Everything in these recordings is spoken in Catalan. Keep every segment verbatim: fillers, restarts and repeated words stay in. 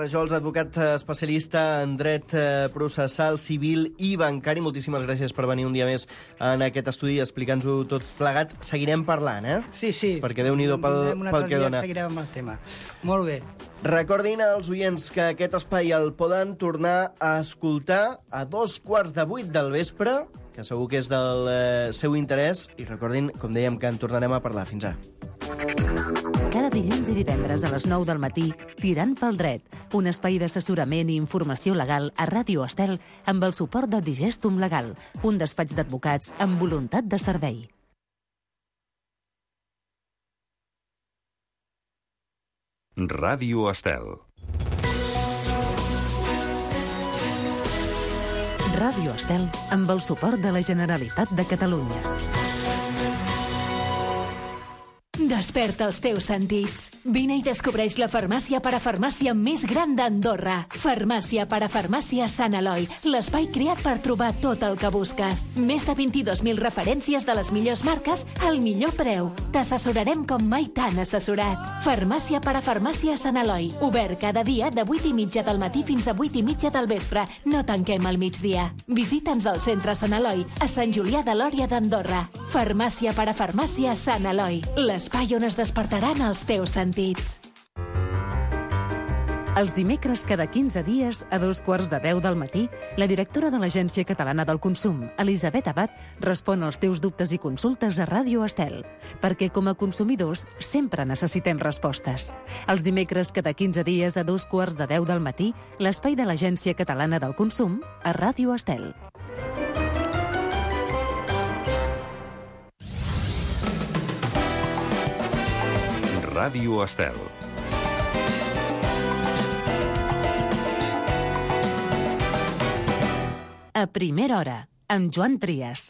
Rajols, advocat especialista en dret processal, civil i bancari. Moltíssimes gràcies per venir un dia més en aquest estudi i explicar-nos-ho tot plegat. Seguirem parlant, eh? Sí, sí. Perquè Déu-n'hi-do pel, pel que dona. Seguirem amb el tema. Molt bé. Recordin als oients que aquest espai el poden tornar a escoltar a dos quarts de vuit del vespre, que segur que és del eh, seu interès. I recordin, com dèiem, que en tornarem a parlar. Fins ara. Cada dilluns i divendres a les nou del matí, Tirant pel dret, un espai d'assessorament i informació legal a Ràdio Estel amb el suport de Digestum Legal, un despatx d'advocats amb voluntat de servei. Ràdio Estel. Ràdio Estel amb el suport de la Generalitat de Catalunya. Desperta els teus sentits. Vine i descobreix la farmàcia parafarmàcia més gran d'Andorra. Farmàcia parafarmàcia Sant Eloi, l'espai creat per trobar tot el que busques. Més de vint-i-dos mil referències de les millors marques al millor preu. T'assessorarem com mai t'han assessorat. Farmàcia parafarmàcia Sant Eloi, obert cada dia de vuit i mitja del matí fins a vuit i mitja del vespre. No tanquem al migdia. Visita'ns al centre Sant Eloi, a Sant Julià de Lòria d'Andorra. Farmàcia parafarmàcia Sant Eloi, l'espai on es despertaran els teus sentits. Els dimecres cada quinze dies, a dos quarts de deu del matí, la directora de l'Agència Catalana del Consum, Elisabet Abad, respon als teus dubtes i consultes a Ràdio Estel, perquè com a consumidors sempre necessitem respostes. Els dimecres cada quinze dies, a dos quarts de deu del matí, l'espai de l'Agència Catalana del Consum a Ràdio Estel. Ràdio Estel. A primera hora, amb Joan Trias.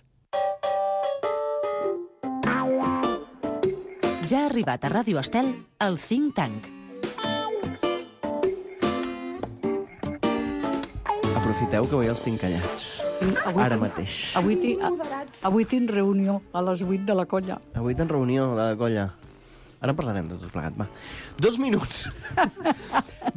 Ja ha arribat a Ràdio Estel el Think Tank. Aprofiteu que avui els tinc callats. Avui, Ara mateix. Avui, ti, avui tinc reunió a les vuit de la colla. Avui tens reunió de la colla. Ara en parlarem de tot plegat, va. Dos minuts.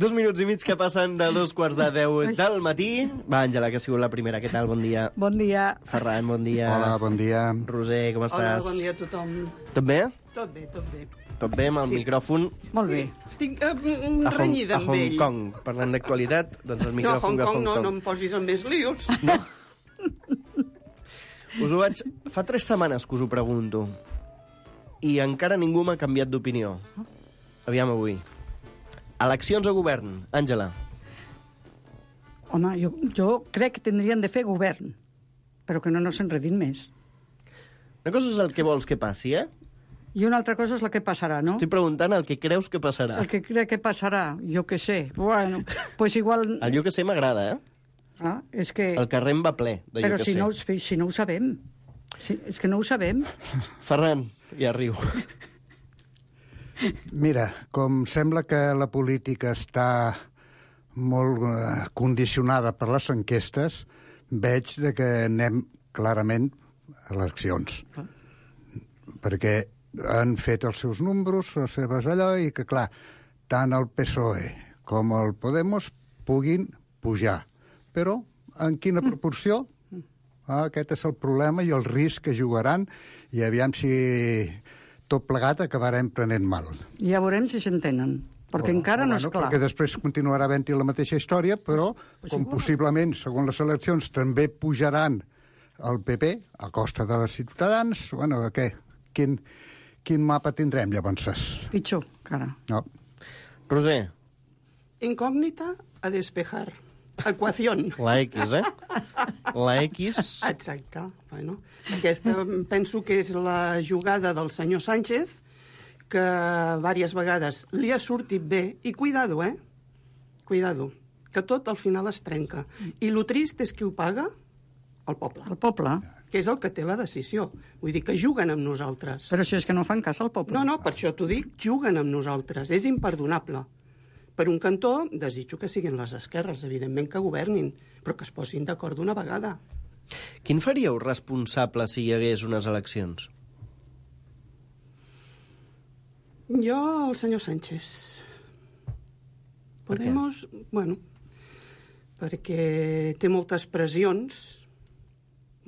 Dos minuts i mig que passen de dos quarts de deu del matí. Va, Àngela, que ha sigut la primera. Què tal? Bon dia. Bon dia. Ferran, bon dia. Hola, bon dia. Roser, com estàs? Hola, bon dia a tothom. Tot bé? Tot bé, tot bé. Tot bé amb el Sí. micròfon? Molt bé. Estic uh, A Hong, renyida a amb Hong ell. Kong. Parlant d'actualitat, doncs el No, micròfon Hong de Kong Hong no, Kong. no em posis en més lius. No. Us ho vaig... Fa tres setmanes que us ho pregunto. I encara ningú m'ha canviat d'opinió. Aviam avui. Eleccions a govern. Àngela. Home, jo, jo crec que tindrien de fer govern, però que no, no s'enredin més. Una cosa és el que vols que passi, eh? I una altra cosa és la que passarà, no? Estic preguntant el que creus que passarà. El que crec que passarà, jo què sé. Bueno, pues igual... El jo que sé m'agrada, eh? Ah, és que... El carrer em va ple de Però jo que si sé. no, si no ho sabem. Si, és que no ho sabem. Ferran, ja riu. Mira, com sembla que la política està molt eh, condicionada per les enquestes, veig de que anem clarament a eleccions. Ah. Perquè han fet els seus números, les seves allò, i que, clar, tant el P S O E com el Podemos puguin pujar. Però en quina proporció? Ah, aquest és el problema i el risc que jugaran, i aviam si tot plegat acabarem prenent mal. Ja veurem si s'entenen, perquè Bueno, encara no és bueno, clar. Perquè després continuarà havent-hi la mateixa història, però Pues com igual. possiblement, segons les eleccions, també pujaran el P P a costa de les ciutadans, bueno, què? Quin, quin mapa tindrem, llavors? Pitjor, encara. No. Roser, Incògnita a despejar. Equación. la X, eh? La X... Exacte. Bueno, aquesta penso que és la jugada del senyor Sánchez, que diverses vegades li ha sortit bé, i cuidado, eh? Cuidado, que tot al final es trenca. I lo trist és qui ho paga? El poble, El poble. que és el que té la decisió. Vull dir que juguen amb nosaltres. Però si és que no fan cas al poble. No, no, per això t'ho dic, juguen amb nosaltres. És imperdonable. Per un cantó, desitjo que siguin les esquerres, evidentment que governin, però que es posin d'acord d'una vegada. Quin faríeu responsable si hi hagués unes eleccions? Jo, el senyor Sánchez. Podemos, bueno, perquè té moltes pressions,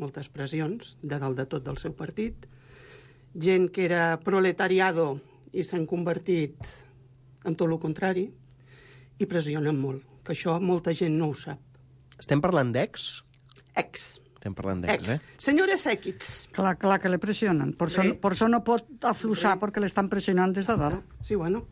moltes pressions, de dalt de tot del seu partit, gent que era proletariado i s'han convertit en tot el contrari, i pressionen molt, que això molta gent no ho sap. Estem parlant d'ex? Ex. Estem parlant d'ex, Ex. eh? Senyores Equits. Clar, clar que le presionen. Por eso, Sí. por eso no pot afluixar, perquè l'estan pressionant des de dalt. Sí, bueno.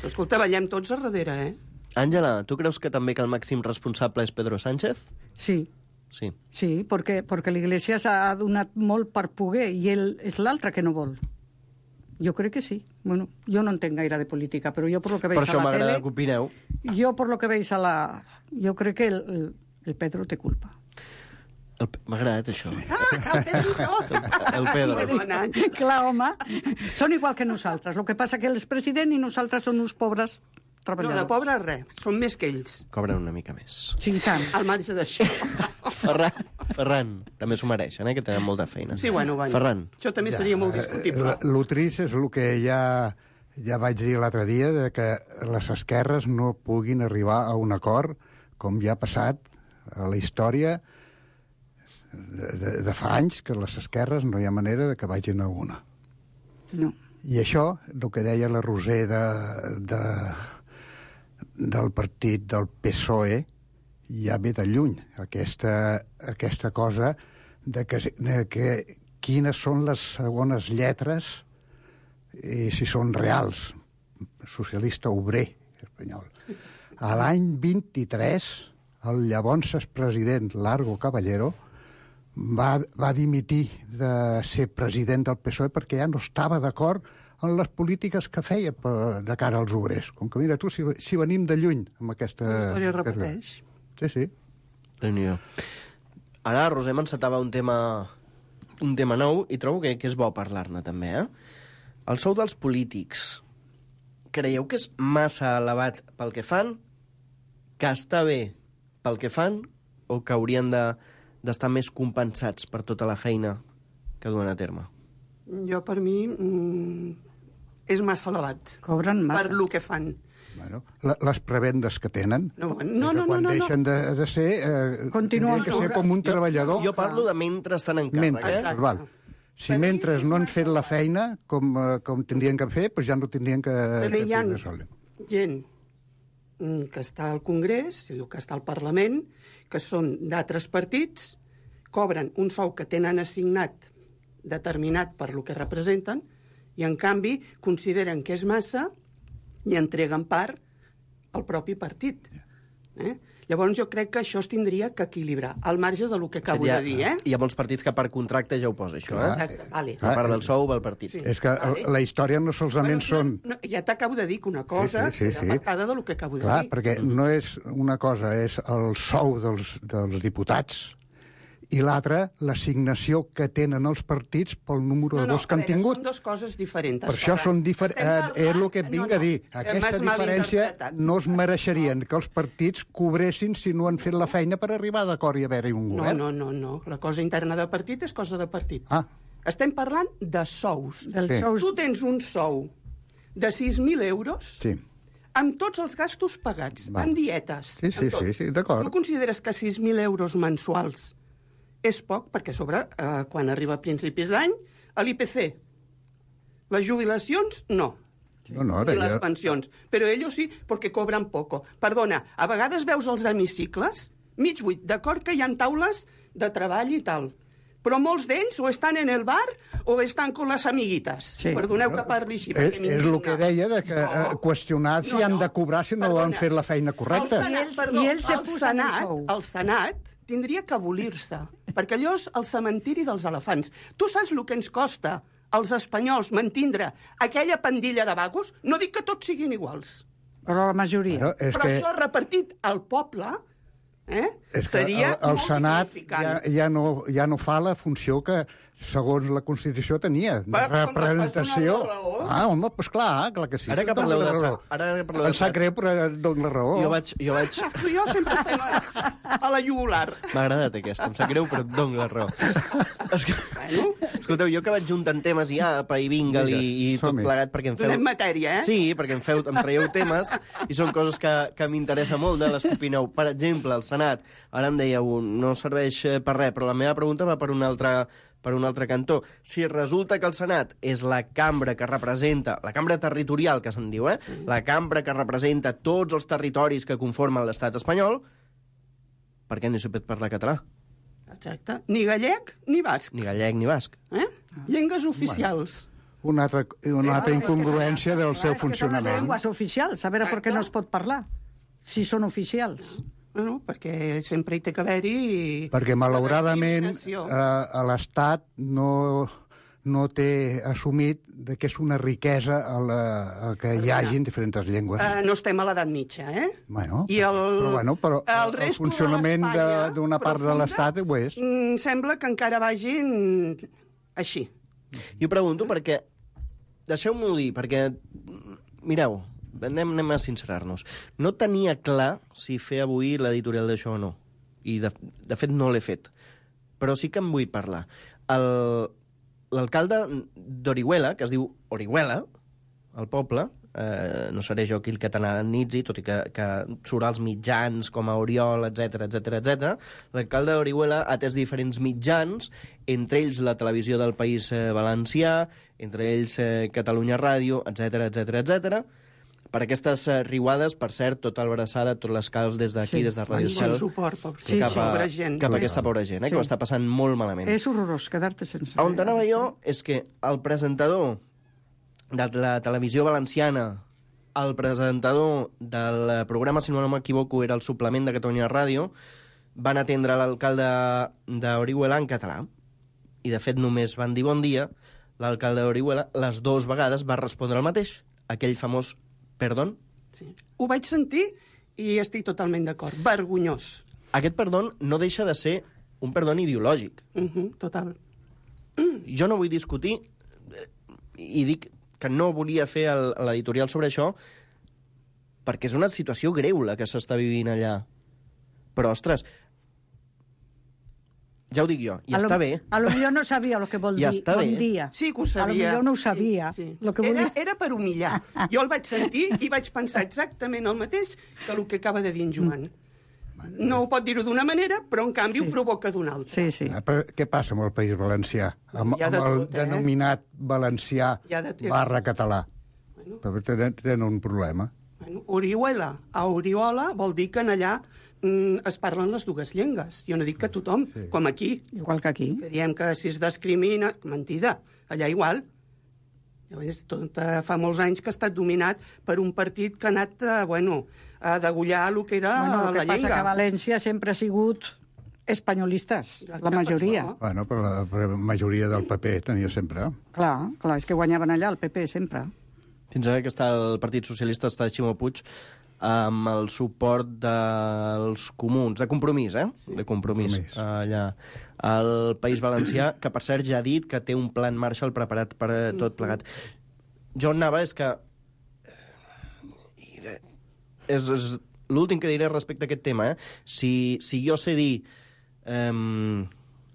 Però, escolta, ballem tots a darrere, eh? Àngela, tu creus que també que el màxim responsable és Pedro Sánchez? Sí, Sí. sí, perquè, perquè l'Iglésia s'ha donat molt per poder i ell és l'altre que no vol. Jo crec que sí. Bueno, jo no entenc gaire de política, però jo per lo que veig Per a això la m'agrada tele... que opineu. Jo per lo que veig a la... Jo crec que el, el, el Pedro té culpa. El Pe- M'ha agradat això. Ah, el Pedrito! El Pedro. Perdona. Clar, home, són igual que nosaltres. El que passa que ell és president i nosaltres som uns pobres No, de treballadors. pobres res, són més que ells. Cobren una mica més. Sí, i tant. Al marge d'això. Ferran, Ferran, també s'ho mereixen, eh, que tenen molta feina. Sí, bueno, va. Ferran. Això també seria molt discutible. El trist és el que ja, ja vaig dir l'altre dia, de que les esquerres no puguin arribar a un acord, com ja ha passat a la història de, de, de fa anys, que les esquerres no hi ha manera de que vagin a una. No. I això, el que deia la Roser de, de, del partit del P S O E, ja ve de lluny, aquesta, aquesta cosa de que, de que quines són les segones lletres i si són reals. Socialista obrer espanyol. A l'any vint-i-tres, el llavors president Largo Caballero va, va dimitir de ser president del P S O E perquè ja no estava d'acord en les polítiques que feia per, de cara als obrers. Com que, mira, tu, si, si venim de lluny amb aquesta... La història repeteix. Sí, sí. Déu-n'hi-do. Ara, Roser m'encetava un tema, un tema nou i trobo que, que és bo parlar-ne també, eh? El sou dels polítics. Creieu que és massa elevat pel que fan? Que està bé pel que fan? O que haurien de, d'estar més compensats per tota la feina que duen a terme? Jo, per mi, mm, és massa elevat. Cobren massa. Per lo que fan. Bueno, la, les prebendes que tenen, No, que no, no, quan no, no, deixen de, de ser, eh, Continuen tindrien que ser cobrant. com un treballador. Jo parlo de mentre estan en càrrec, Mentre, eh? Exacte. val. Si Per mi mentre és no han massa fet la elevat. feina com, eh, com tindrien que fer, doncs ja no tindrien que, També que hi ha tindre sol. gent mm, que està al Congrés, que està al Parlament, que són d'altres partits, cobren un sou que tenen assignat determinat per lo que representen, i en canvi consideren que és massa i entreguen part al propi partit. Eh? Llavors jo crec que això es tindria que equilibrar, al marge de lo que acabo Hi ha, de dir, eh? hi ha molts partits que per contracte ja ho posa, això, Clar. eh? Exacte, vale. A part del sou, va el partit. Sí. És que Vale. la història no solament Bueno, són... no, ja t'acabo de dir que una cosa Sí, sí, sí, era sí. pactada de lo que acabo de Clar, dir. perquè no és una cosa, és el sou dels, dels diputats, i l'altra, l'assignació que tenen els partits pel número de vots que a han veure, tingut. Són dues coses diferents. Per això són diferents. Estem És el que et parlant- vinc no, a dir. no, Aquesta m'has diferència malinterpretat. no es mereixerien que els partits cobressin si no han fet la feina per arribar d'acord i haver-hi un No, govern. no, no, no. La cosa interna de partit és cosa de partit. Ah, Estem parlant de sous. Dels Sí. sous... Tu tens un sou de sis mil euros sí. amb tots els gastos pagats, Va. amb dietes. Sí, sí, amb tot. sí, sí, d'acord. Tu consideres que sis mil euros mensuals és poc? Perquè a sobre, eh, quan arriba a principis d'any, a l'I P C. Les jubilacions, no. No, no, I ara les ja... pensions. Però ells sí, perquè cobren poco. Perdona, a vegades veus els hemicicles, mig buit, d'acord que hi ha taules de treball i tal, però molts d'ells o estan en el bar o estan con les amiguites. Sí. Perdoneu que parli així, És, perquè és el m'indigna. que deia, de que eh, qüestionar si No, han no. de cobrar si no Perdona. han fet la feina correcta. El Senat, I ells- perdó, i ells se el posen Senat, el sou. el Senat tindria que abolir-se, perquè allò és el cementiri dels elefants. Tu saps el que ens costa als espanyols mantindre aquella pandilla de vagos? No dic que tots siguin iguals, Però la majoria. Però és però que, això repartit al poble eh, és que seria el, el molt Senat ja, dignificant. ja, no, ja no fa la funció que, segons la Constitució, tenia, de Va, com que vas representació. donar la raó. Ah, home, doncs clar, clar que sí. Ara que et dono parleu la de raó. Sa- ara que parleu de Em sap Sa- greu, però et dono la raó. Jo vaig, jo vaig, Però jo sempre estem... a la jugular. M'ha agradat aquesta, em sap greu, però et dono la raó. Esco... Bueno. Escolteu, jo que vaig juntant temes i apa, i vinga, i, i tot som-hi. plegat, perquè em feu... Donem matèria, eh? Sí, perquè em, feu, em traieu temes, i són coses que, que m'interessa molt de les que opineu. Per exemple, el Senat, ara em dèieu, no serveix per res, però la meva pregunta va per un altre, per un altre cantó. Si resulta que el Senat és la cambra que representa, la cambra territorial, que se'n diu, eh? Sí. La cambra que representa tots els territoris que conformen l'estat espanyol, per què no s'hi pot parlar català? Exacte. Ni gallec ni basc. Ni gallec ni basc. Eh? Llengües oficials. Una altra, una altra incongruència del seu És que són les funcionament. llengües oficials, a veure per què no es pot parlar, si són oficials. Bueno, perquè sempre hi té que haver-hi... Perquè, malauradament, discriminació. eh, a l'Estat no, no té assumit de que és una riquesa el, el que hi hagin diferents llengües. Uh, no estem a l'edat mitja, eh? Bueno, I el, però, bueno, però el, el resto funcionament de l'Espanya d'una part de profunda, l'Estat ho és. mm, Sembla que encara vagin així. Jo pregunto perquè... Deixeu-m'ho dir, perquè... Mireu, anem, anem a sincerar-nos. No tenia clar si fer avui l'editorial d'això o no. I, de, de fet, no l'he fet. Però sí que en vull parlar. El... L'alcalde d'Orihuela, que es diu Orihuela, el poble, eh, no seré jo qui el catalanitzi, tot i que, que surt als mitjans com a Oriol, etc etc etc. L'alcalde d'Orihuela ha atès diferents mitjans, entre ells la televisió del País eh, Valencià, entre ells eh, Catalunya Ràdio, etc etc etc. Per aquestes eh, riuades, per cert, tota l'abraçada, tots les calç des d'aquí, Sí. des de Ràdio Bon Estel, suport, pobra Sí, cap, a, pobra gent. cap a aquesta pobra gent, eh, Sí. que ho està passant molt malament. És horrorós quedar-te sense... On anava jo és que el presentador de la televisió valenciana, el presentador del programa, si no m'equivoco, era el suplement de Catalunya Ràdio, van atendre l'alcalde d'Orihuela en català. I, de fet, només van dir bon dia. L'alcalde d'Orihuela, les dues vegades, va respondre el mateix. Aquell famós perdón. Sí. Ho vaig sentir i estic totalment d'acord. Vergonyós. Aquest perdón no deixa de ser un perdón ideològic. Uh -huh, total. Jo no vull discutir, eh, i dic que no volia fer el- l'editorial sobre això, perquè és una situació greu la que s'està vivint allà. Però, ostres, ja ho dic jo, i a està lo, bé. A lo millor no sabia el que vol I dir. està bon bé. dia. Sí que ho A lo sabia. millor no ho sabia. Sí, sí. Lo que Era, volia... era per humillar. Jo el vaig sentir i vaig pensar exactament el mateix que el que acaba de dir en Joan. No ho pot dir-ho d'una manera, però en canvi Sí. ho provoca d'una altra. Sí, sí. Ah, però què passa amb el País Valencià? Amb, Hi ha de amb el tot, eh? denominat valencià Hi ha de tot. barra català. Bueno. Però tenen, tenen un problema. Bueno, Orihuela a Oriola vol dir que en allà mm, es parlen les dues llengües. Jo no dic que tothom, Sí. com aquí, Igual que aquí. que diem que si es discrimina... Mentida, allà igual. Llavors, tot, eh, fa molts anys que ha estat dominat per un partit que ha anat eh, bueno, a degullar el que era Bueno, el la que passa llengua. que València sempre ha sigut espanyolistes, la Exacte, majoria. per això. Bueno, però la, però la majoria del P P tenia sempre. Clar, clar, és que guanyaven allà el P P sempre. Fins ara que està el Partit Socialista, està Ximo Puig, amb el suport dels comuns, de Compromís, eh? Sí. De Compromís, Compromís. allà. El País Valencià, que per cert ja ha dit que té un plan Marshall preparat per a tot plegat. Jo anava, és que... És, és l'últim que diré respecte a aquest tema, eh? Si, si jo sé dir... Um,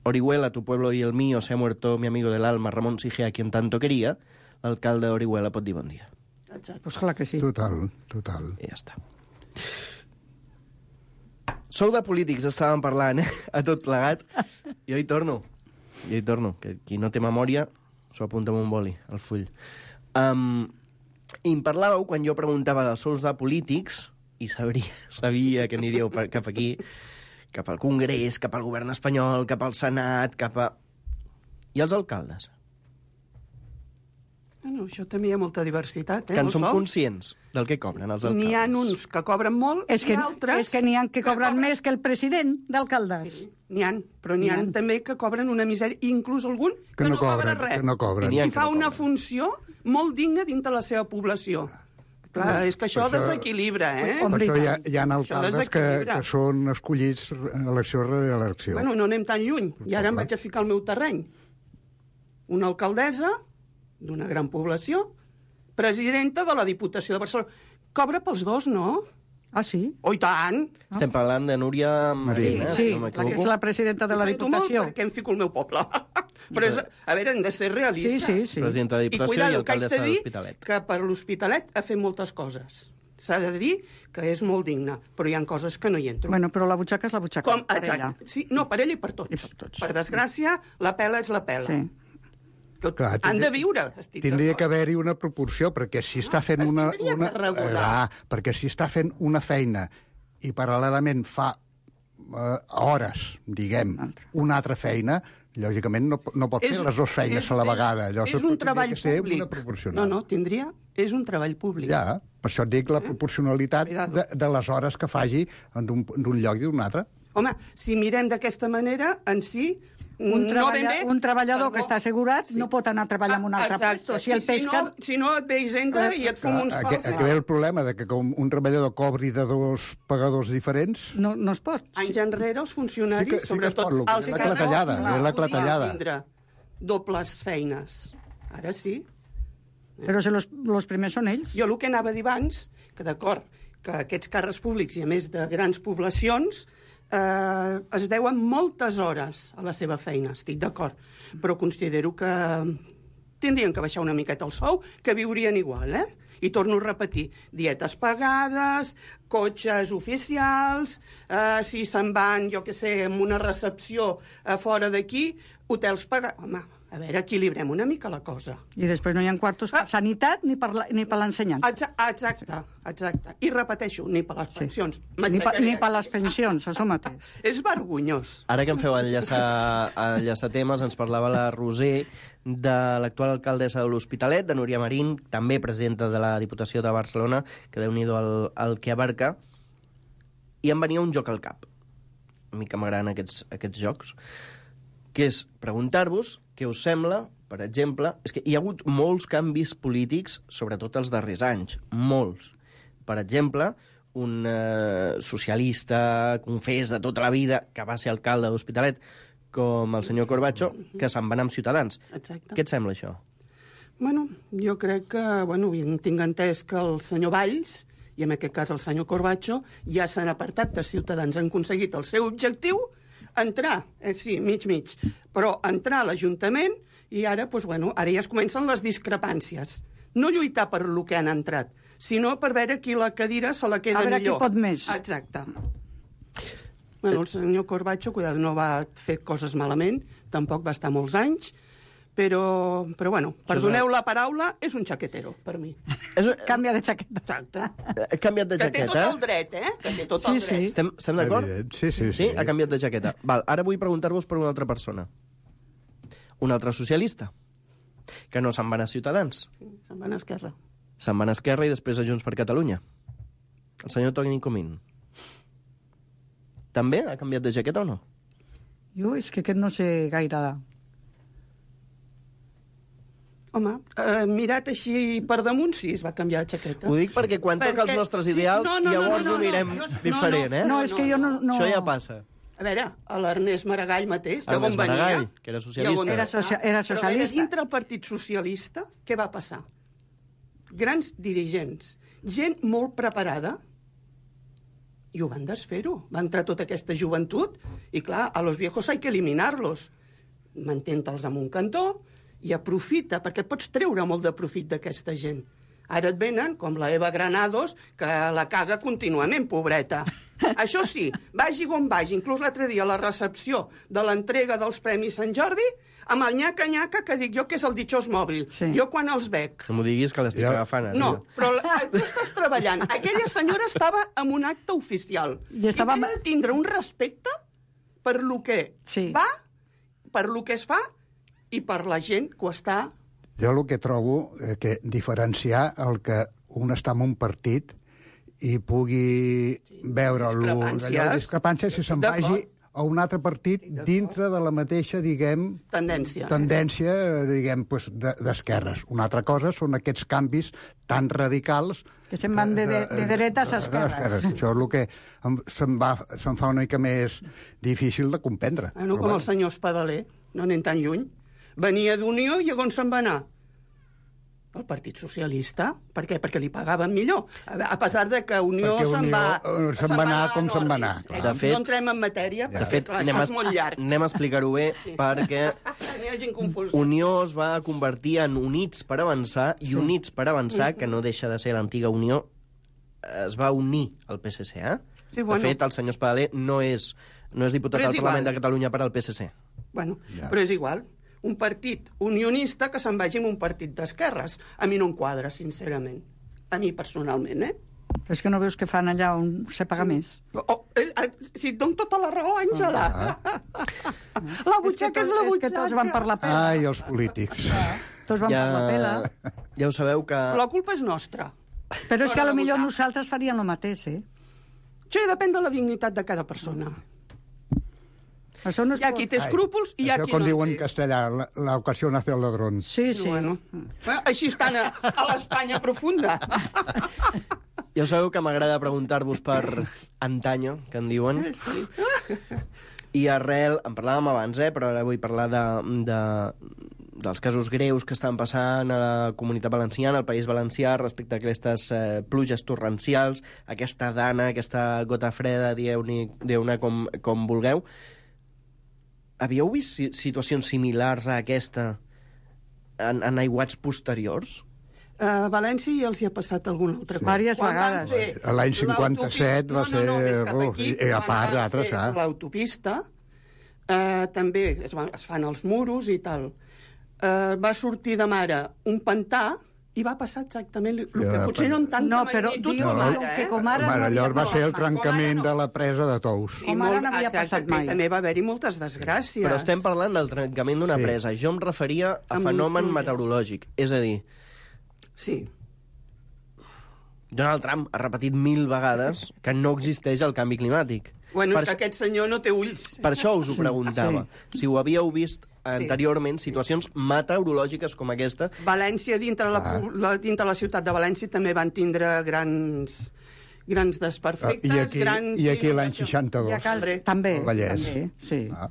Orihuela, tu pueblo y el mío, se ha muerto mi amigo del alma, Ramón Sige, a quien tanto quería, l'alcalde d'Orihuela pot dir bon dia. Exacte. Pues clar que sí. Total, total. I ja està. Sou de polítics, estàvem parlant, eh? A tot plegat. Jo hi torno. Jo hi torno. Que qui no té memòria s'ho apunta amb un boli, al full. Um, I em parlàveu, quan jo preguntava dels sous de polítics, i sabria, sabia que aniríeu per, cap aquí, cap al Congrés, cap al govern espanyol, cap al Senat, cap a... I els alcaldes? Bueno, això també hi ha molta diversitat, eh? Que en els som sous. conscients del que cobren els alcaldes. N'hi ha uns que cobren molt És que, i altres... és que n'hi ha que cobren cobren- més que el president d'alcaldes. Sí, n'hi ha, però n'hi ha N'hi ha. també que cobren una misèria, inclús algun que, Que no cobra cobren, res. que no cobren. N'hi ha I que fa no una cobren. funció molt digna dintre la seva població. Clar, és que això, Per això- desequilibra, eh? Home, Per i això hi ha, tant. hi ha Això alcaldes que, desequilibra. que són escollits elecció rere elecció. Bueno, no anem tan lluny. I ara em vaig a ficar al meu terreny. Una alcaldessa d'una gran població, presidenta de la Diputació de Barcelona. Cobra pels dos, no? Ah, sí? Oh, i tant! Estem parlant de Núria Marín, eh? Sí, si no la que és m'equivoco. la presidenta de Ho la sento molt Diputació. perquè em fico al meu poble. Però, és, a veure, hem de ser realistes. Sí, sí, sí. Presidenta de I Diputació i, cuidado, que haig alcaldessa de de dir l'Hospitalet. que per l'Hospitalet ha fet moltes coses. S'ha de dir que és molt digne, però hi ha coses que no hi entro. Bueno, però la butxaca és la butxaca. Com, per exacte. ella. Sí, no, per ell i per tots. I per tots. Per desgràcia, la pela és la pela. Sí. Que Clar, han tindria- de viure. Estic Tindria d'acord. que haver-hi una proporció, perquè si està fent es una... tindria una que regular. Ah, perquè si està fent una feina i paral·lelament fa eh, hores, diguem, una altra feina, lògicament no, no pot fer les dues feines és- a la és- vegada. Llavors és un tindria treball que ser públic. una proporcional. No, no, tindria... És un treball públic. Ja, per això et dic la proporcionalitat Cuidado. de, de les hores que faci d'un d'un lloc i d'un altre. Home, si mirem d'aquesta manera, en si... Un, no treballa, ben bé, un treballador perdó. que està assegurat Sí. no pot anar a treballar en un altre Exacte. puesto. Si el I si pesca... no, si no et ve Hisenda i et fum uns Aquí, pals. aquí ve el problema de que com un treballador cobri de dos pagadors diferents, No, no es pot. Anys enrere, els funcionaris, Sí que- sí que es sobretot pot, el que els és la càrrecs, clatellada, no és la podien clatellada. tindre dobles feines. Ara sí. Però si los, los primers són ells. Jo el que anava a dir abans, que d'acord, que aquests càrrecs públics, i a més de grans poblacions, eh, es deuen moltes hores a la seva feina, estic d'acord, però considero que tindrien que baixar una miqueta el sou, que viurien igual, eh? I torno a repetir, dietes pagades, cotxes oficials, eh, si se'n van, jo què sé, amb una recepció a fora d'aquí, hotels pagats... Home, a veure, equilibrem una mica la cosa. I després no hi ha quartos per Ah. sanitat ni per la- ni per l'ensenyança. Exa- Exacte, exacte. I repeteixo, ni per les pensions. Ni per, M'aixecaré ni per aquí. les pensions, això mateix. És vergonyós. Ara que em feu enllaçar, enllaçar temes, ens parlava la Roser de l'actual alcaldessa de l'Hospitalet, de Núria Marín, també presidenta de la Diputació de Barcelona, que déu-n'hi-do el, el que abarca, i em venia un joc al cap. A mi que m'agraden aquests, aquests jocs, que és preguntar-vos què us sembla, per exemple, és que hi ha hagut molts canvis polítics, sobretot els darrers anys, molts. Per exemple, un eh, socialista confés de tota la vida, que va ser alcalde de l'Hospitalet, com el senyor Corbacho, que se'n va anar amb Ciutadans. Exacte. Què et sembla, això? Bueno, jo crec que, bueno, tinc entès que el senyor Valls, i en aquest cas el senyor Corbacho, ja s'han apartat de Ciutadans, han aconseguit el seu objectiu, entrar, eh, sí, mig-mig, però entrar a l'Ajuntament i ara, doncs, bueno, ara ja es comencen les discrepàncies. No lluitar per lo que han entrat, sinó per veure qui la cadira se la queda A veure qui millor. pot més. Exacte. Bueno, el senyor Corbacho, cuidado, no va fer coses malament, tampoc va estar molts anys, però, però bueno, perdoneu la paraula, és un xaquetero, per mi. És, Canvia de xaqueta. Exacte. he canviat de Que té tot jaqueta. el dret, eh? Que té tot Sí, el sí. dret. Estem, estem d'acord? Evident. Sí, sí, Sí, sí. ha canviat de jaqueta. Val, ara vull preguntar-vos per una altra persona. Un altre socialista, que no se'n van a Ciutadans. Se'n van a Esquerra. Se'n van a Esquerra i després a Junts per Catalunya. El senyor Toni Comín. També ha canviat de jaqueta o no? Jo és que aquest no sé gaire... Home, eh, mirat així per damunt, sí, es va canviar de xaqueta. Ho dic perquè quan toca els Perquè- nostres sí, ideals, no, no, no, llavors no, no, ho mirem no, no, diferent, no, eh? No, és que jo no... no... Això ja passa. A veure, a l'Ernest Maragall mateix, de Ernest on venia... Maragall, que era socialista. i on Era socia- era Però a veure, socialista. dintre el Partit Socialista, què va passar? Grans dirigents, gent molt preparada, i ho van desfer-ho. Va entrar tota aquesta joventut, i clar, a los viejos hay que eliminarlos. Mantén-te'ls en un cantó i aprofita, perquè pots treure molt de profit d'aquesta gent. Ara et venen, com la Eva Granados, que la caga contínuament, pobreta. Això sí, vagi on vagi, inclús l'altre dia a la recepció de l'entrega dels Premis Sant Jordi, amb el nyaca-nyaca que dic jo que és el ditxós mòbil. Sí. Jo quan els veig... No m'ho diguis que l'estic Ja. agafant. ara. No, però la, tu estàs treballant. Aquella senyora estava en un acte oficial. I estava- I té de tindre un respecte per lo que Sí. va, per lo que es fa i per la gent que ho està... Jo el que trobo eh, que diferenciar el que un està en un partit i pugui veure lo- discrepàncies. allò, discrepàncies si se'n D'acord. vagi a un altre partit dintre de la mateixa, diguem, Tendència. tendència, eh, diguem, pues, de- d'esquerres. Una altra cosa són aquests canvis tan radicals Que se'n van de, de, de dretes a esquerres. Això és el que em, se'm, va, se'm fa una mica més difícil de comprendre. Bueno, Però com bueno. el senyor Espadaler, no anem tan lluny. Venia d'Unió i on se'n va anar? El Partit Socialista. Per què? Perquè li pagaven millor. A pesar de que Unió Perquè se'n Unió, va... eh, se'n va anar com se'n va anar, Eh, clar. De fet- no entrem en matèria, De perquè fet, clar, anem això a, és molt llarg. anem a explicar-ho bé, perquè N'hi ha gent confusa. Unió es va convertir en Units per Avançar, i Sí. Units per Avançar, que no deixa de ser l'antiga Unió, es va unir al P S C, eh? Sí, bueno. De fet, el senyor Espadaler no és, no és diputat Però és al Parlament igual. de Catalunya per al P S C. Bueno, Ja. però és igual. Un partit unionista que se'n vagi amb un partit d'esquerres. A mi no em quadra, sincerament. A mi personalment, eh? Però és que no veus que fan allà on se paga més? Oh, eh, eh, si et dono tota la raó, Àngela. La butxaca és, la És que butxaca. tots van per la pela. Ai, els polítics. Tots van per la pela. ja ho sabeu que... La culpa és nostra. Però és que L'hora de a lo millor votar. nosaltres faríem el mateix, eh? Això depèn de la dignitat de cada persona. Això no es Hi ha pot- qui té escrúpols i hi ha Això qui com no diuen en té. castellà, la, la ocasión hace el ladrón. Sí, sí. Bueno, bueno, així estan a, a l'Espanya profunda. Ja sabeu que m'agrada preguntar-vos per antanyo, que en diuen. Sí. I arrel, en parlàvem abans, eh, però ara vull parlar de, de, dels casos greus que estan passant a la Comunitat Valenciana, al País Valencià, respecte a aquestes eh, pluges torrencials, aquesta dana, aquesta gota freda, dieu-ne dieu com, com vulgueu. Havíeu vist si- situacions similars a aquesta en, en aiguats posteriors? A València ja els hi ha passat alguna altra cosa. Vàries Quan van vegades. fer L'any cinquanta-set va l'autopista- no, no, no, ser- més cap uf, aquí, i a quan part van d'altres, fer ah. L'autopista, eh, també es, van, es fan els muros i tal. Eh, va sortir de mare un pantà i va passar exactament el que Ja, potser no en tanta No, però magnitud diu com no, ara, que eh? com ara Home, no allò havia va ser el passat mai. trencament Com ara no. de la presa de Tous. I Com ara molt- no havia exacte, passat que mai. També va haver-hi moltes desgràcies. Però estem parlant del trencament d'una Sí. presa. Jo em referia a Amb fenomen pluges. meteorològic. És a dir, Sí. Donald Trump ha repetit mil vegades que no existeix el canvi climàtic. Bueno, per, és que aquest senyor no té ulls. per això us ho preguntava. Si ho havíeu vist anteriorment, situacions meteorològiques com aquesta. València, dintre la, Ah. la, dintre la ciutat de València, també van tindre grans, grans desperfectes. I aquí, grans i aquí l'any inundacions. I a seixanta-dos. Cal... Hombre. També, El Vallès. també, sí. Ah.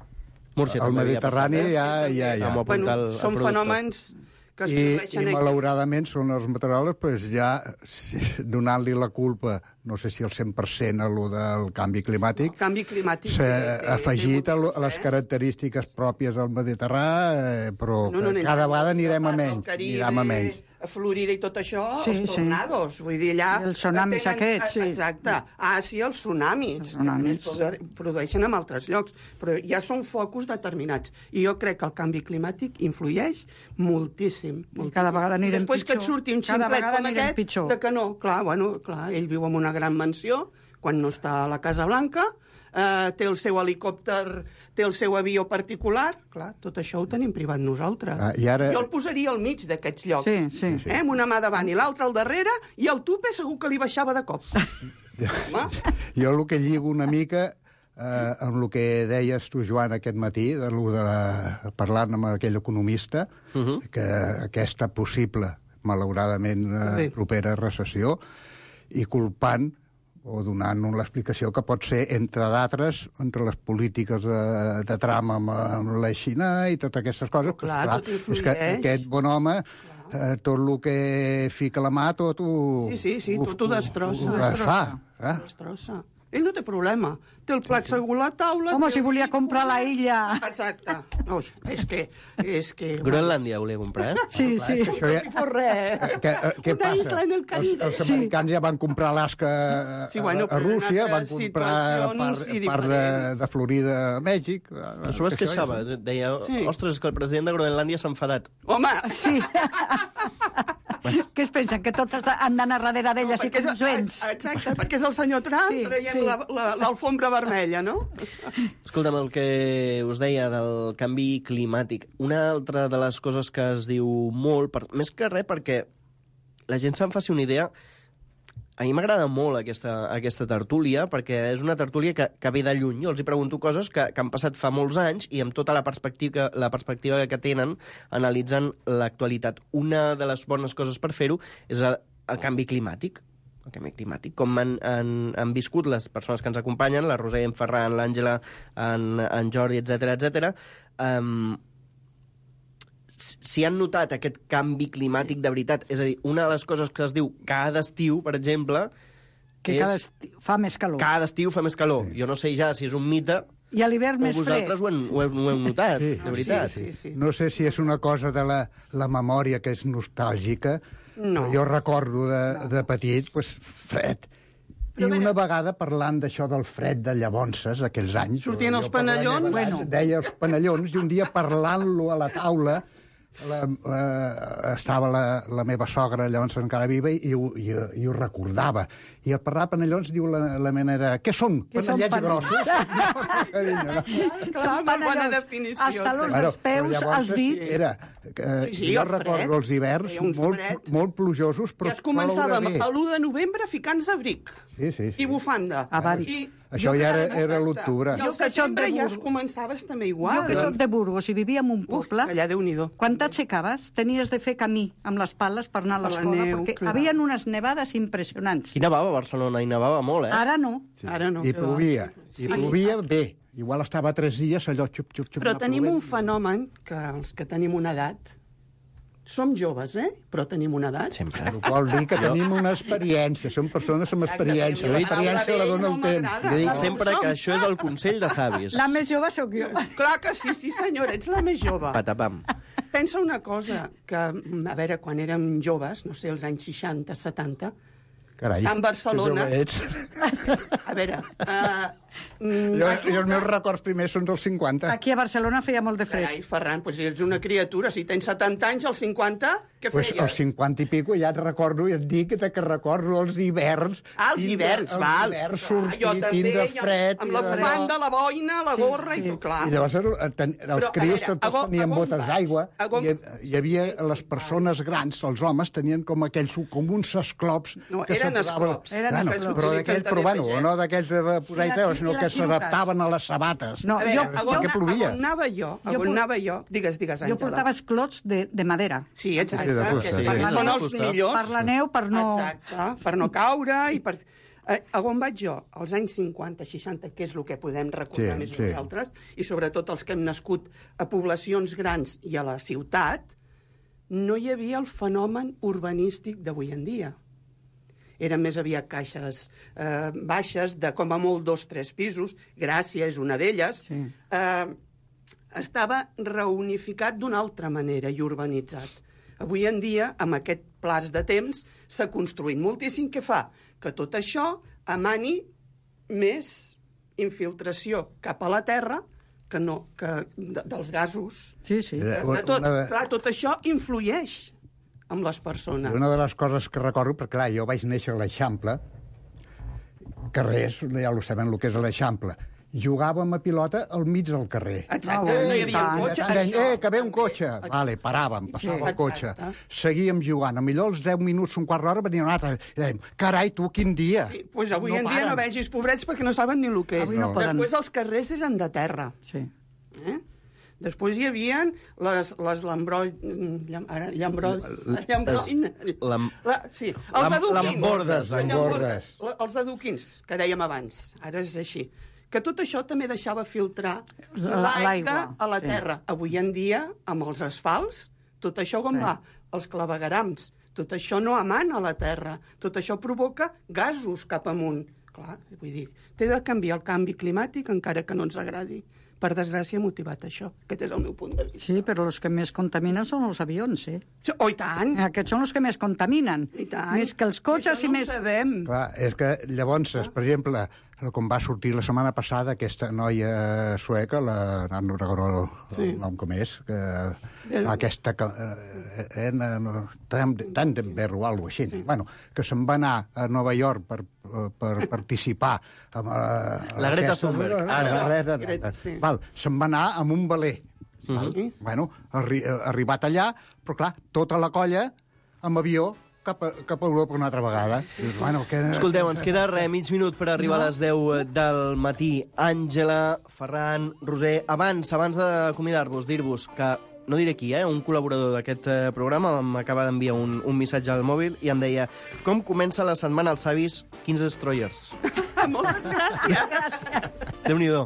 Múrcia El també havia Mediterrani passat, eh? ja, ja, ja. Vam apuntar Bueno, el- el són producte. fenòmens que es I, produeixen i aquí. malauradament són els meteoròlegs pues, ja si, donant-li la culpa, no sé si el cent per cent a lo del canvi climàtic, El canvi climàtic s'ha té- té- afegit té a, lo- motius, a les eh? característiques pròpies del Mediterrani, eh, però No, no, que anem cada a vegada anirem a part del menys, Caribe, anirem a menys. a Florida i tot això, Sí, els sí. tornados. Vull dir, allà... I els tsunamis aquests, sí. Exacte. Ah, sí, els tsunamis. Els tsunamis. Que també es produ- produeixen en altres llocs, però ja són focus determinats. I jo crec que el canvi climàtic influeix moltíssim. moltíssim. cada vegada anirem I després que et pitjor. surti un Cada ximplet vegada com anirem aquest, pitjor. de que no, clar, bueno, clar, ell viu en una gran mansió, quan no està a la Casa Blanca, eh, té el seu helicòpter, té el seu avió particular, clar, tot això ho tenim privat nosaltres. Ah, i ara- Jo el posaria al mig d'aquests llocs, Sí, sí. eh, amb una mà davant i l'altra al darrere, i el tupe segur que li baixava de cop. Home, Jo el que lligo una mica eh, amb el que deies tu, Joan, aquest matí, de, lo de parlant amb aquell economista, uh -huh. que aquesta possible, malauradament, eh, Bé. propera recessió, i culpant o donant l'explicació que pot ser, entre d'altres, entre les polítiques de, de Trump amb, amb la Xina i totes aquestes coses. Pues, Clar, tot és influeix. que aquest bon home, eh, tot el que fica la mà, tot ho... Sí, sí, sí, tot ho destrossa. Ho desfà. Eh? destrossa. Ell no té problema. Té el plat segur a la taula... Home, té si el volia llit comprar la cobert. illa. Exacte. Ui, és que... És que Groenlàndia volia comprar, eh? Sí, sí. Això ja... no fos res. Que, eh, què Una passa? isla en el Caribe. Els, els americans ja van comprar Alaska a, Sí, bueno, a però en Rússia, van altres comprar part, situacions i part de, diferents. de Florida a Mèxic. Però s'ho es queixava, deia, Sí. ostres, és que el president de Groenlàndia s'ha enfadat. Home, Sí. Què es pensen? Que tots han d'anar darrere d'ella així perquè com és, joents? exacte, perquè és el senyor Trump Sí, traient sí. la- la- l'alfombra vermella, no? Escolta'm, el que us deia del canvi climàtic. Una altra de les coses que es diu molt, per, més que res perquè la gent se'n faci una idea, a mi m'agrada molt aquesta, aquesta tertúlia, perquè és una tertúlia que, que ve de lluny. Jo els hi pregunto coses que, que han passat fa molts anys i amb tota la perspectiva, la perspectiva que tenen analitzant l'actualitat. Una de les bones coses per fer-ho és el, el canvi climàtic. El canvi climàtic, com han, han, han viscut les persones que ens acompanyen, la Roser, en Ferran, l'Àngela, en, en Jordi, etcètera, etcètera. Um, si han notat aquest canvi climàtic de veritat. És a dir, una de les coses que es diu cada estiu, per exemple, que és... cada estiu fa més calor. Cada estiu fa més calor. Sí. Jo no sé ja si és un mite... I a l'hivern més fred. O vosaltres ho, hem, ho, heu, ho heu notat, Sí. de veritat. Sí, sí, sí. No sé si és una cosa de la, la memòria que és nostàlgica. No. Jo recordo de, de petit, pues, fred. I una vegada parlant d'això del fred de llavors, aquells anys... Sortien jo els per la meva panellons? edat Bueno. Deia els panellons, i un dia parlant-lo a la taula, la, eh, estava la, la meva sogra llavors encara viva i, i, ho- i, i ho recordava. I al parlar panellons diu la, la menera, què són? Què són Panellets panellons? grossos? Carinyo, no? Clar, molt bona panellons. definició. Els talons exacte. dels peus, però llavors els dits. Era, eh, Sí, sí, jo el fred. recordo els hiverns Feia un molt, fred. molt plujosos, però Ja es començàvem ploure bé. a l'u de novembre ficant-nos abric. Sí, sí, sí. I bufanda. A Bari. I, Això jo ja que- era- era exacte. l'octubre. I al Jo que soc de setembre ja es Burgos. començaves també igual. Jo que soc de Burgos i vivia en un Uf, poble, allà Déu-n'hi-do. quan t'aixecaves tenies de fer camí amb les pales per anar a Per la l'escola, neu, perquè clar. havien unes nevades impressionants. Hi nevava a Barcelona, hi nevava molt, eh? Ara no. Ara no. I plovia. Sí. I plovia bé. Igual estava tres dies allò xup, xup, xup. Però anar tenim un plovent. fenomen que els que tenim una edat... Som joves, eh? Però tenim una edat. Sempre. Ho vol dir que tenim una experiència, som persones amb Exacte, experiència. però La la experiència la paraula dona vell el no temps. m'agrada. Jo dic La sempre som. que això és el consell de savis. La més jove sóc jo. Clar que sí, sí senyora, ets la més jove. Patapam. Pensa una cosa, que, a veure, quan érem joves, no sé, els anys seixanta, setanta, Carai, en Barcelona- que jove ets. a veure... Uh, mm, Jo, jo els meus records primers són dels cinquanta. Aquí a Barcelona feia molt de fred. Carai, Ferran, doncs ets una criatura. Si tens setanta anys, als cinquanta, què Pues feies? als cinquanta i pico ja et recordo, i et dic que recordo els hiverns. Ah, els tindre- hiverns, els val. hiverns Ah, sortir, jo també, tindre jo- fred. Amb i la allò. bufanda, la boina, la gorra i tot, clar. I llavors eh, ten, els Però, a crios veure, tots a on- tenien a on botes vaig? d'aigua, A on- i hi havia les persones grans, els homes, tenien com aquells, com uns esclops... No, que eren s'aposaven- esclops. Eren Bueno, esclops. però d'aquells, S'utilitzen però també bueno, pagès. no d'aquells de posar I i la- treure, i sinó les que xiruques. s'adaptaven a les sabates. No, A veure, jo, a jo, on, què plovia? a on anava jo? A Jo on por- anava jo? Digues, digues, jo Àngela. portava esclots de, de madera. Sí, exacte. Sí, de fusta, que sí. són- són els Fusta. millors. Per la neu, per no... Exacte, per no caure i per... Eh, a on vaig jo? Als anys cinquanta, seixanta, que és el que podem recordar Sí, més sí. nosaltres, i sobretot els que hem nascut a poblacions grans i a la ciutat, no hi havia el fenomen urbanístic d'avui en dia. Eren més aviat caixes eh, baixes, de com a molt dos, tres pisos. Gràcia és una d'elles. Sí. Eh, estava reunificat d'una altra manera i urbanitzat. Avui en dia, amb aquest plaç de temps, s'ha construït moltíssim. Què fa? Que tot això emani més infiltració cap a la terra que no, que de, dels gasos. Sí, sí. Era- De, de tot, una de- clar, tot això influeix amb les persones. Una de les coses que recordo, perquè clar, jo vaig néixer a l'Eixample, carrers, ja ho saben el que és l'Eixample, jugàvem a pilota al mig del carrer. Exacte, Ah, no hi havia tant. un cotxe. Deien, això, eh, que ve un també. cotxe. Vale, paràvem, passava Sí. el cotxe. Exacte. Seguíem jugant. A millor els deu minuts, un quart d'hora, venia un altre. I dèiem, carai, tu, quin dia. Sí, pues avui No en dia paren. no vegis pobrets perquè no saben ni el que és. Avui no poden. Després els carrers eren de terra. Sí. Eh? Després hi havia les, les lambrol... llam- ara, llambrol... Llambrol... Lam- La, sí, els Lam- adoquins. lambordes, lambordes. La- Els adoquins, que dèiem abans. Ara és així. Que tot això també deixava filtrar La- l'aigua l'aigua, a la sí. terra. Avui en dia, amb els asfalts, tot això com Sí. va? Els clavegarams. Tot això no emana a la terra. Tot això provoca gasos cap amunt. Clar, vull dir, té de canviar el canvi climàtic encara que no ens agradi. Per desgràcia, ha motivat això. Aquest és el meu punt de vista. Sí, però els que més contaminen són els avions, eh? Oh, i tant! Aquests són els que més contaminen. I tant. Més que els cotxes Això i no més... ho sabem. Clar, és que llavors, per exemple, com va sortir la setmana passada aquesta noia sueca, la... no recordo el, Sí. el nom com és, que El- aquesta... Que, eh, eh, no, tant tant de berro o alguna cosa així. Sí. Bueno, que se'n va anar a Nova York per, per participar amb, eh, La Greta aquesta- Thunberg, La ara. Greta, Greta, sí. Val, se'n va anar amb un veler. Val? Sí. Bueno, arri eh, arribat allà, però clar, tota la colla amb avió cap a, cap a Europa una altra vegada. Dius, bueno, que... Escolteu, ens queda res, mig minut per arribar a les deu del matí. Àngela, Ferran, Roser, abans abans d'acomiadar-vos, dir-vos que no diré qui, eh, un col·laborador d'aquest eh, programa m'acaba d'enviar un, un missatge al mòbil i em deia: com comença la setmana als avis quinze Destroyers? Moltes gràcies. Déu-n'hi-do.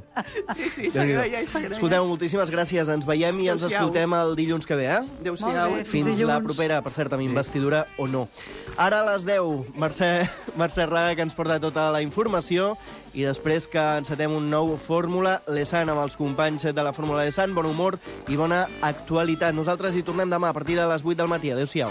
Sí, sí, s'agraia i s'agraia. Escolteu, moltíssimes gràcies. Ens veiem i ens Adéu-siau. escoltem el dilluns que ve, eh? Adéu-siau. Molt bé. Fins Dilluns. la propera, per cert, amb investidura o no. Ara a les deu, Mercè, Mercè Raga, que ens porta tota la informació, i després que encetem un nou Fórmula Lesan amb els companys de la Fórmula Lesan. Bon humor i bona actualitat. Nosaltres hi tornem demà a partir de les vuit del matí. Adéu-siau.